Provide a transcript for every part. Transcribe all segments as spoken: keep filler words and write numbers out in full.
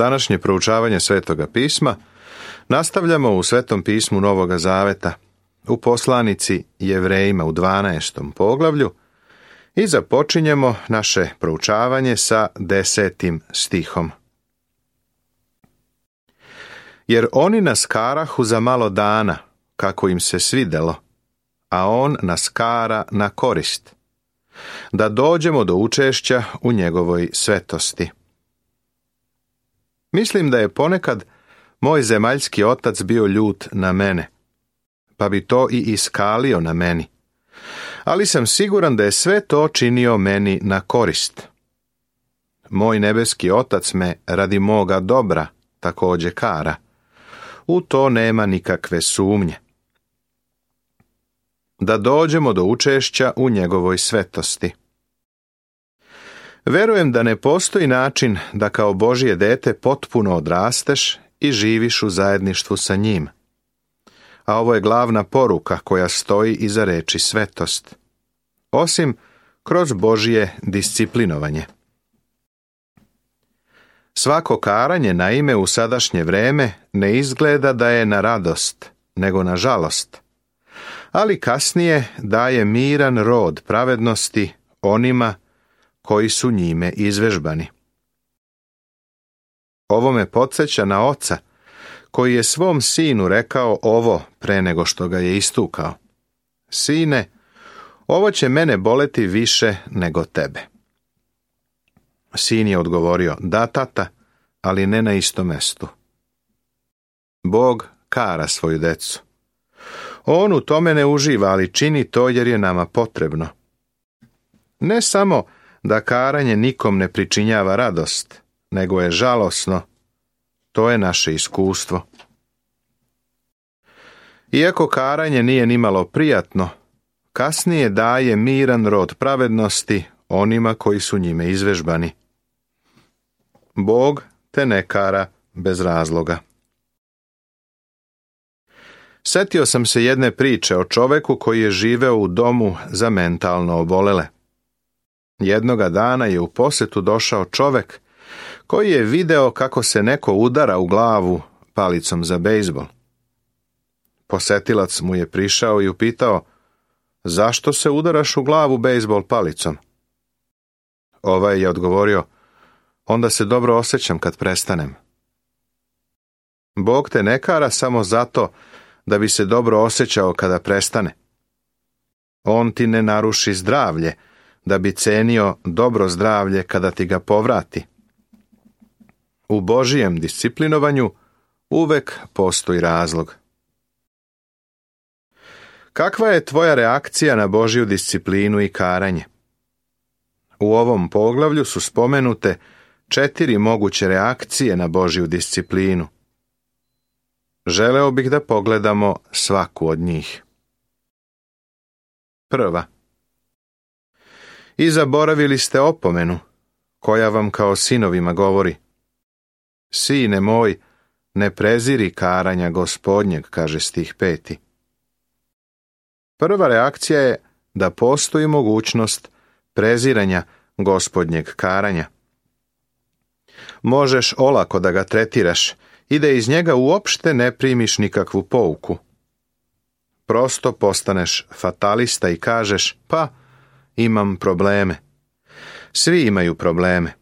Današnje proučavanje Svetoga pisma nastavljamo u Svetom pismu Novoga Zaveta, u poslanici Jevrejima u dvanaestom poglavlju i započinjemo naše proučavanje sa desetim stihom. Jer oni nas karahu za malo dana, kako im se svidelo, a on nas kara na korist, da dođemo do učešća u njegovoj svetosti. Mislim da je ponekad moj zemaljski otac bio ljut na mene, pa bi to i iskalio na meni, ali sam siguran da je sve to činio meni na korist. Moj nebeski otac me radi moga dobra također kara. U to nema nikakve sumnje. Da dođemo do učešća u njegovoj svetosti. Verujem da ne postoji način da kao Božje dete potpuno odrasteš i živiš u zajedništvu sa njim. A ovo je glavna poruka koja stoji iza reči svetost, osim kroz Božje disciplinovanje. Svako karanje naime u sadašnje vreme ne izgleda da je na radost, nego na žalost, ali kasnije daje miran rod pravednosti onima koji su njime izvežbani. Ovo me podsjeća na oca, koji je svom sinu rekao ovo pre nego što ga je istukao. Sine, ovo će mene boleti više nego tebe. Sin je odgovorio, da tata, ali ne na istom mestu. Bog kara svoju decu. On u tome ne uživa, ali čini to jer je nama potrebno. Ne samo da karanje nikom ne pričinjava radost, nego je žalosno. To je naše iskustvo. Iako karanje nije nimalo prijatno, kasnije daje miran rod pravednosti onima koji su njime izvežbani. Bog te ne kara bez razloga. Setio sam se jedne priče o čoveku koji je živeo u domu za mentalno obolele. Jednoga dana je u posetu došao čovek koji je video kako se neko udara u glavu palicom za bejzbol. Posetilac mu je prišao i upitao, zašto se udaraš u glavu bejzbol palicom? Ovaj je odgovorio, onda se dobro osjećam kad prestanem. Bog te ne kara samo zato da bi se dobro osjećao kada prestane. On ti ne naruši zdravlje, da bi cenio dobro zdravlje kada ti ga povrati. U Božijem disciplinovanju uvek postoji razlog. Kakva je tvoja reakcija na Božju disciplinu i karanje? U ovom poglavlju su spomenute četiri moguće reakcije na Božju disciplinu. Želeo bih da pogledamo svaku od njih. Prva. I zaboravili ste opomenu, koja vam kao sinovima govori. Sine moj, ne preziri karanja Gospodnjeg, kaže stih peti. Prva reakcija je da postoji mogućnost preziranja Gospodnjeg karanja. Možeš olako da ga tretiraš i da iz njega uopšte ne primiš nikakvu pouku. Prosto postaneš fatalista i kažeš, pa, imam probleme. Svi imaju probleme.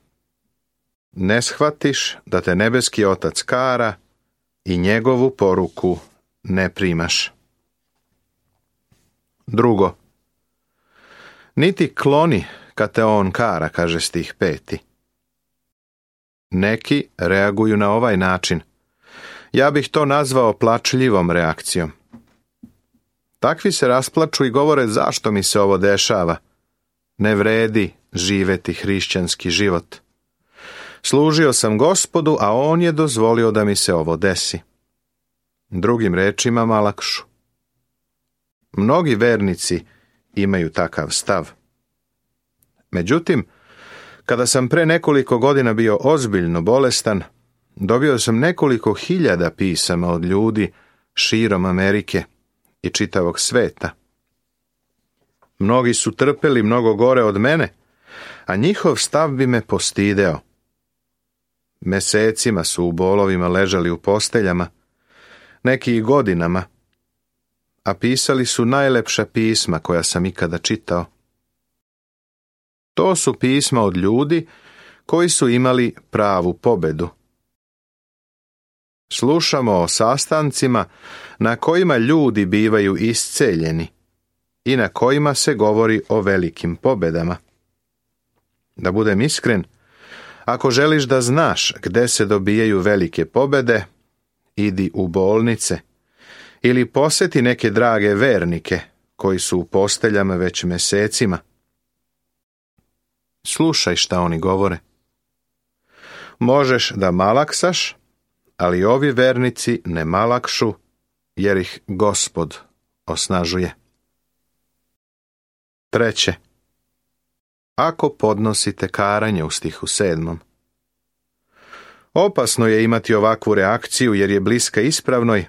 Ne shvatiš da te nebeski otac kara i njegovu poruku ne primaš. Drugo. Niti kloni kad te on kara, kaže stih peti. Neki reaguju na ovaj način. Ja bih to nazvao plačljivom reakcijom. Takvi se rasplaču i govore zašto mi se ovo dešava. Ne vredi živeti hrišćanski život. Služio sam Gospodu, a on je dozvolio da mi se ovo desi. Drugim rečima malakšu. Mnogi vernici imaju takav stav. Međutim, kada sam pre nekoliko godina bio ozbiljno bolestan, dobio sam nekoliko hiljada pisama od ljudi širom Amerike i čitavog sveta. Mnogi su trpeli mnogo gore od mene, a njihov stav bi me postideo. Mesecima su u bolovima ležali u posteljama, neki i godinama, a pisali su najlepša pisma koja sam ikada čitao. To su pisma od ljudi koji su imali pravu pobedu. Slušamo o sastancima na kojima ljudi bivaju isceljeni i na kojima se govori o velikim pobedama. Da budem iskren, ako želiš da znaš gde se dobijaju velike pobede, idi u bolnice ili poseti neke drage vernike koji su u posteljama već mesecima. Slušaj šta oni govore. Možeš da malaksaš, ali ovi vernici ne malakšu, jer ih Gospod osnažuje. Treće. Ako podnosite karanje u stihu sedmom. Opasno je imati ovakvu reakciju jer je bliska ispravnoj,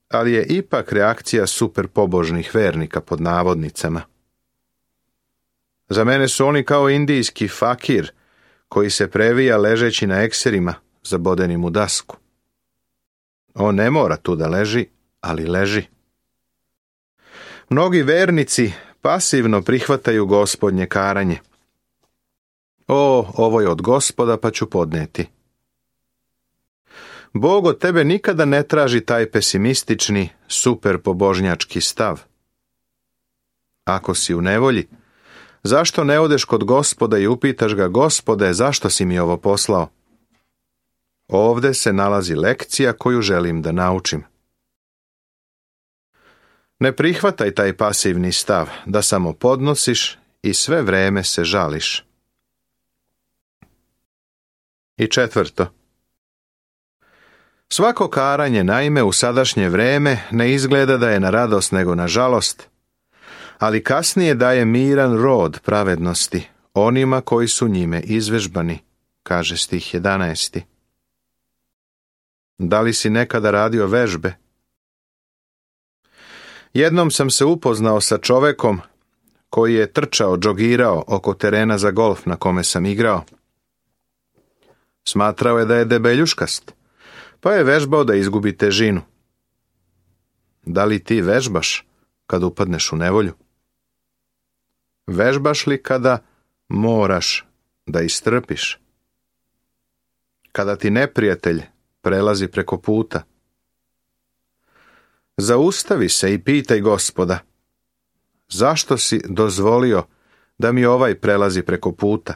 ali je ipak reakcija super pobožnih vernika pod navodnicama. Za mene su oni kao indijski fakir koji se previja ležeći na ekserima zabodenim u dasku. On ne mora tu da leži, ali leži. Mnogi vernici pasivno prihvataju Gospodnje karanje. O, ovo je od Gospoda pa ću podneti. Bog od tebe nikada ne traži taj pesimistični, super pobožnjački stav. Ako si u nevolji, zašto ne odeš kod Gospoda i upitaš ga: Gospode, zašto si mi ovo poslao? Ovde se nalazi lekcija koju želim da naučim. Ne prihvataj taj pasivni stav da samo podnosiš i sve vreme se žališ. I četvrto. Svako karanje, naime, u sadašnje vreme ne izgleda da je na radost nego na žalost, ali kasnije daje miran rod pravednosti onima koji su njime izvežbani, kaže stih jedanaesti. Da li si nekada radio vežbe? Jednom sam se upoznao sa čovekom koji je trčao, džogirao oko terena za golf na kome sam igrao. Smatrao je da je debeljuškast, pa je vežbao da izgubi težinu. Da li ti vežbaš kad upadneš u nevolju? Vežbaš li kada moraš da istrpiš? Kada ti neprijatelj prelazi preko puta? Zaustavi se i pitaj Gospoda: zašto si dozvolio da mi ovaj prelazi preko puta?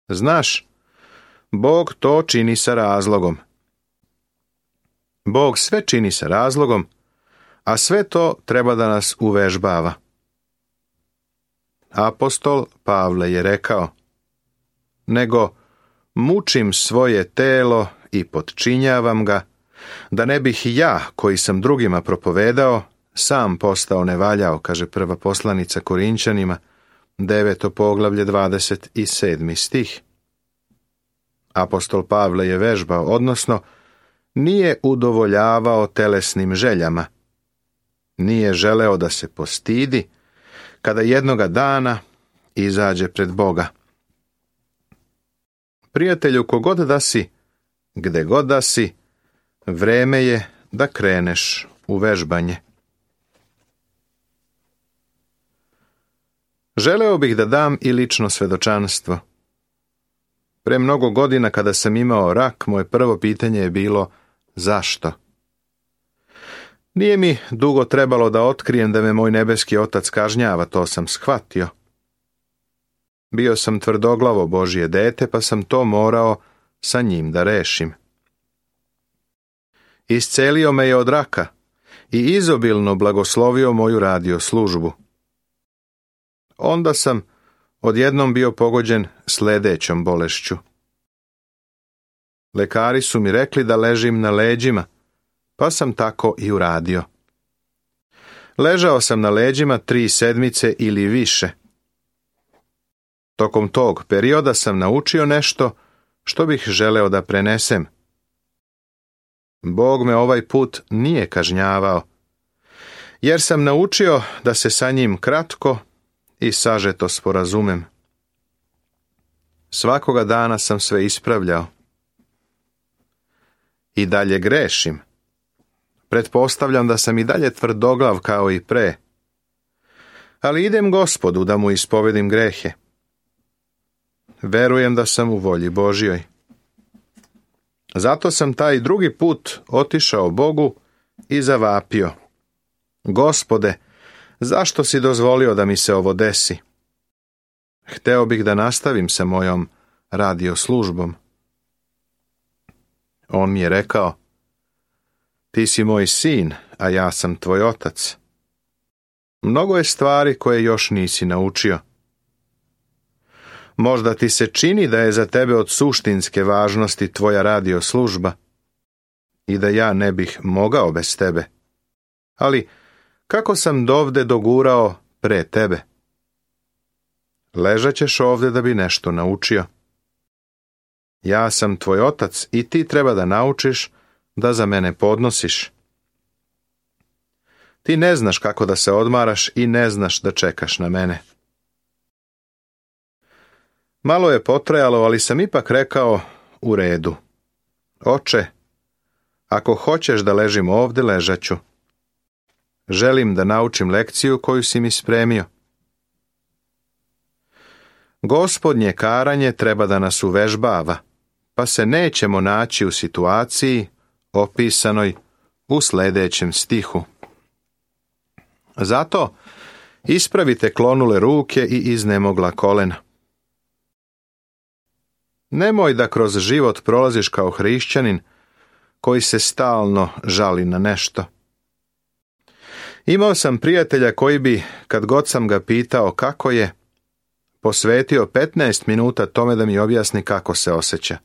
Znaš, Bog to čini sa razlogom. Bog sve čini sa razlogom, a sve to treba da nas uvežbava. Apostol Pavle je rekao: nego mučim svoje telo i potčinjavam ga, da ne bih ja, koji sam drugima propovedao, sam postao nevaljao, kaže prva poslanica Korinćanima, deveto poglavlje, dvadeset sedmi stih. Apostol Pavle je vežbao, odnosno nije udovoljavao telesnim željama. Nije želeo da se postidi kada jednoga dana izađe pred Boga. Prijatelju, kogod da si, gde god da si, vreme je da kreneš u vežbanje. Želeo bih da dam i lično svedočanstvo. Pre mnogo godina kada sam imao rak, moje prvo pitanje je bilo: zašto? Nije mi dugo trebalo da otkrijem da me moj nebeski otac kažnjava, to sam shvatio. Bio sam tvrdoglavo Božje dete, pa sam to morao sa njim da rešim. Iscelio me je od raka i izobilno blagoslovio moju radio službu. Onda sam odjednom bio pogođen sledećom bolešću. Lekari su mi rekli da ležim na leđima, pa sam tako i uradio. Ležao sam na leđima tri sedmice ili više. Tokom tog perioda sam naučio nešto što bih želeo da prenesem. Bog me ovaj put nije kažnjavao, jer sam naučio da se sa njim kratko i sažeto sporazumem. Svakoga dana sam sve ispravljao. I dalje grešim. Pretpostavljam da sam i dalje tvrdoglav kao i pre. Ali idem Gospodu da mu ispovedim grehe. Verujem da sam u volji Božjoj. Zato sam taj drugi put otišao Bogu i zavapio: Gospode, zašto si dozvolio da mi se ovo desi? Hteo bih da nastavim sa mojom radio službom. On mi je rekao: Ti si moj sin, a ja sam tvoj otac. Mnogo je stvari koje još nisi naučio. Možda ti se čini da je za tebe od suštinske važnosti tvoja radio služba i da ja ne bih mogao bez tebe. Ali kako sam dovde dogurao pre tebe? Ležat ćeš ovde da bi nešto naučio. Ja sam tvoj otac i ti treba da naučiš da za mene podnosiš. Ti ne znaš kako da se odmaraš i ne znaš da čekaš na mene. Malo je potrajalo, ali sam ipak rekao: U redu. Oče, ako hoćeš da ležim ovde, ležat ću. Želim da naučim lekciju koju si mi spremio. Gospodnje karanje treba da nas uvežbava, pa se nećemo naći u situaciji opisanoj u sljedećem stihu. Zato ispravite klonule ruke i iznemogla kolena. Nemoj da kroz život prolaziš kao hrišćanin koji se stalno žali na nešto. Imao sam prijatelja koji bi, kad god sam ga pitao kako je, posvetio petnaest minuta tome da mi objasni kako se osjeća.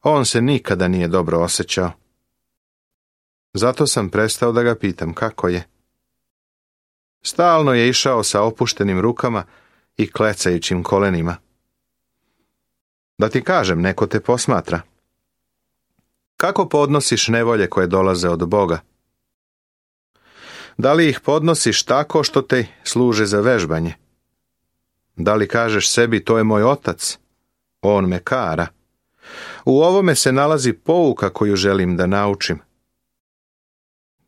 On se nikada nije dobro osjećao. Zato sam prestao da ga pitam kako je. Stalno je išao sa opuštenim rukama i klecajućim kolenima. Da ti kažem, neko te posmatra. Kako podnosiš nevolje koje dolaze od Boga? Da li ih podnosiš tako što te služe za vežbanje? Da li kažeš sebi: to je moj otac, on me kara? U ovome se nalazi pouka koju želim da naučim.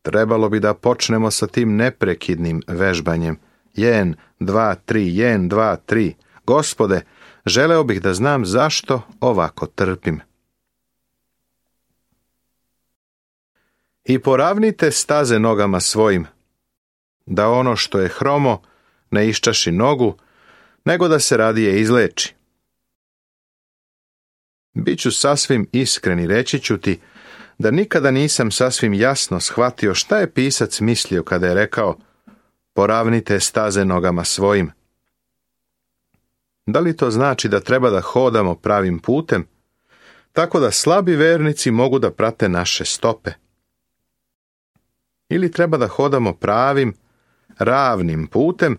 Trebalo bi da počnemo sa tim neprekidnim vežbanjem. Jen, dva, tri, jen, dva, tri. Gospode, želeo bih da znam zašto ovako trpim. I poravnite staze nogama svojim, da ono što je hromo ne iščaši nogu, nego da se radije izleči. Biću sasvim iskren i reći ću ti da nikada nisam sasvim jasno shvatio šta je pisac mislio kada je rekao: poravnite staze nogama svojim. Da li to znači da treba da hodamo pravim putem, tako da slabi vernici mogu da prate naše stope? Ili treba da hodamo pravim, ravnim putem,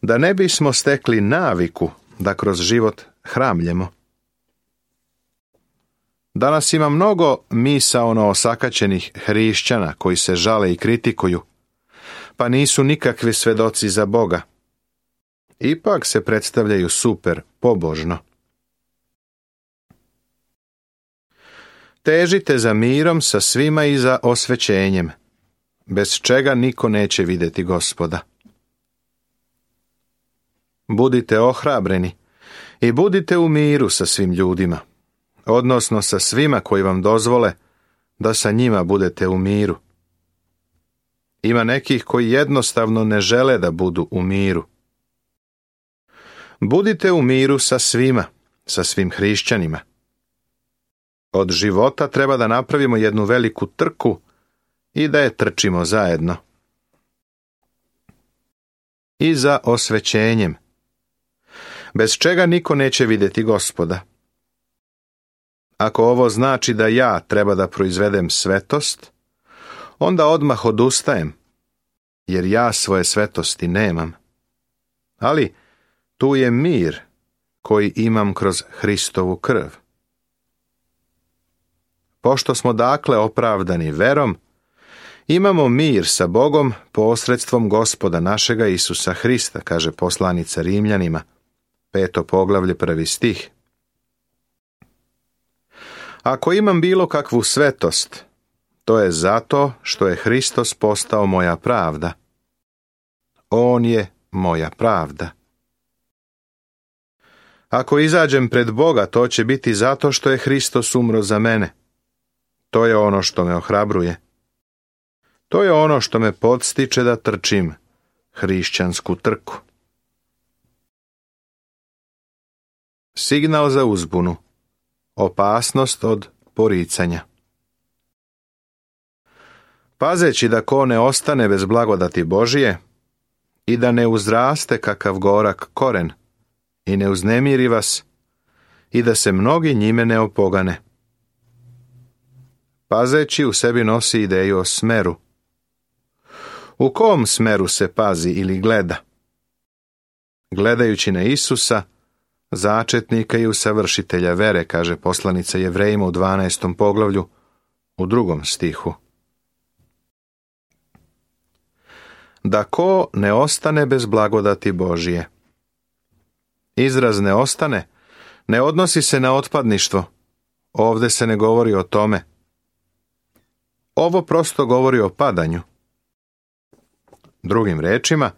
da ne bismo stekli naviku da kroz život hramljemo? Danas ima mnogo misaono osakaćenih hrišćana koji se žale i kritikuju, pa nisu nikakvi svedoci za Boga. Ipak se predstavljaju super pobožno. Težite za mirom sa svima i za osvećenjem, bez čega niko neće vidjeti Gospoda. Budite ohrabreni i budite u miru sa svim ljudima, odnosno sa svima koji vam dozvole da sa njima budete u miru. Ima nekih koji jednostavno ne žele da budu u miru. Budite u miru sa svima, sa svim hrišćanima. Od života treba da napravimo jednu veliku trku i da je trčimo zajedno. I za osvećenjem, bez čega niko neće vidjeti Gospoda. Ako ovo znači da ja treba da proizvedem svetost, onda odmah odustajem, jer ja svoje svetosti nemam. Ali tu je mir koji imam kroz Hristovu krv. Pošto smo dakle opravdani verom, imamo mir sa Bogom posredstvom Gospoda našega Isusa Hrista, kaže poslanica Rimljanima, peto poglavlje, prvi stih. Ako imam bilo kakvu svetost, to je zato što je Hristos postao moja pravda. On je moja pravda. Ako izađem pred Boga, to će biti zato što je Hristos umro za mene. To je ono što me ohrabruje. To je ono što me podstiče da trčim hrišćansku trku. Signal za uzbunu. Opasnost od poricanja. Pazeći da ko ne ostane bez blagodati Božije i da ne uzraste kakav gorak koren i ne uznemiri vas i da se mnogi njime ne opogane. Pazeći u sebi nosi ideju o smeru. U kom smeru se pazi ili gleda? Gledajući na Isusa, začetnika i usavršitelja vere, kaže poslanica Jevrejima u dvanaestom poglavlju, u drugom stihu. Da ko ne ostane bez blagodati Božije. Izraz ne ostane ne odnosi se na otpadništvo. Ovdje se ne govori o tome. Ovo prosto govori o padanju. Drugim rečima,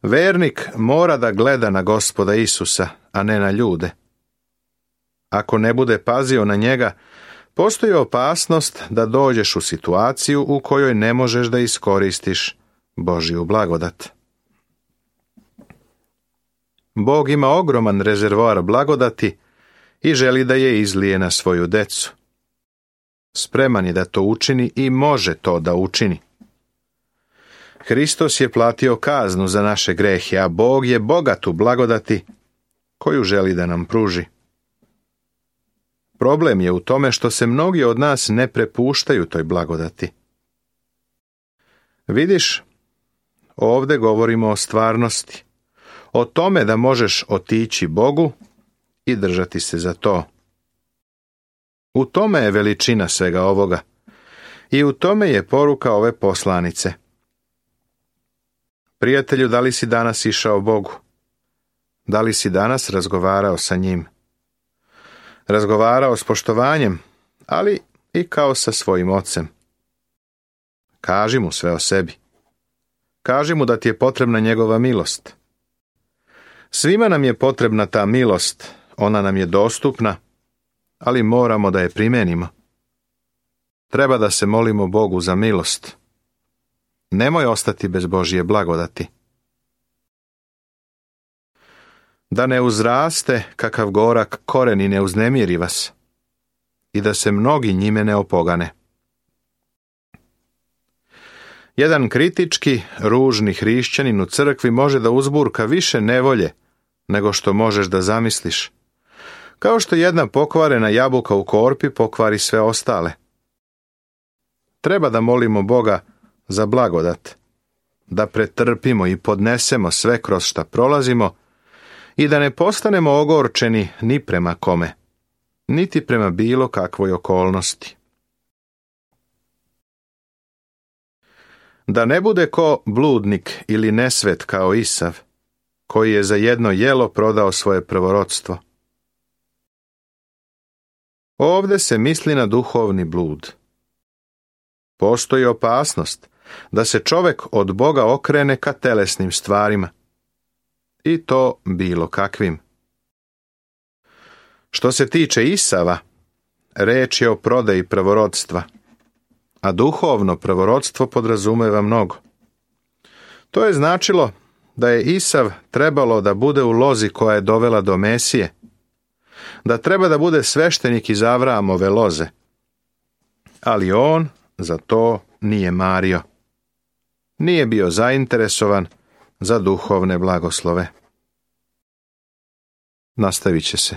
vernik mora da gleda na Gospoda Isusa, a ne na ljude. Ako ne bude pazio na njega, postoji opasnost da dođeš u situaciju u kojoj ne možeš da iskoristiš Božju blagodat. Bog ima ogroman rezervoar blagodati i želi da je izlije na svoju decu. Spreman je da to učini i može to da učini. Hristos je platio kaznu za naše grehe, a Bog je bogat u blagodati koju želi da nam pruži. Problem je u tome što se mnogi od nas ne prepuštaju toj blagodati. Vidiš, ovdje govorimo o stvarnosti, o tome da možeš otići Bogu i držati se za to. U tome je veličina svega ovoga i u tome je poruka ove poslanice. Prijatelju, da li si danas išao Bogu? Da li si danas razgovarao sa njim? Razgovarao s poštovanjem, ali i kao sa svojim ocem. Kaži mu sve o sebi. Kaži mu da ti je potrebna njegova milost. Svima nam je potrebna ta milost, ona nam je dostupna, ali moramo da je primenimo. Treba da se molimo Bogu za milost. Nemoj ostati bez Božje blagodati. Da ne uzraste kakav gorak koren i ne uznemiri vas, i da se mnogi njime ne opogane. Jedan kritički, ružni hrišćanin u crkvi može da uzburka više nevolje nego što možeš da zamisliš. Kao što jedna pokvarena jabuka u korpi pokvari sve ostale. Treba da molimo Boga za blagodat, da pretrpimo i podnesemo sve kroz šta prolazimo i da ne postanemo ogorčeni ni prema kome, niti prema bilo kakvoj okolnosti. Da ne bude ko bludnik ili nesvet kao Isav, koji je za jedno jelo prodao svoje prvorodstvo. Ovdje se misli na duhovni blud. Postoji opasnost da se čovjek od Boga okrene ka telesnim stvarima. I to bilo kakvim. Što se tiče Isava, reč je o prodaji prvorodstva, a duhovno prvorodstvo podrazumeva mnogo. To je značilo da je Isav trebalo da bude u lozi koja je dovela do Mesije, da treba da bude sveštenik iz Avraamove loze, ali on za to nije mario. Nije bio zainteresovan za duhovne blagoslove. Nastavit će se.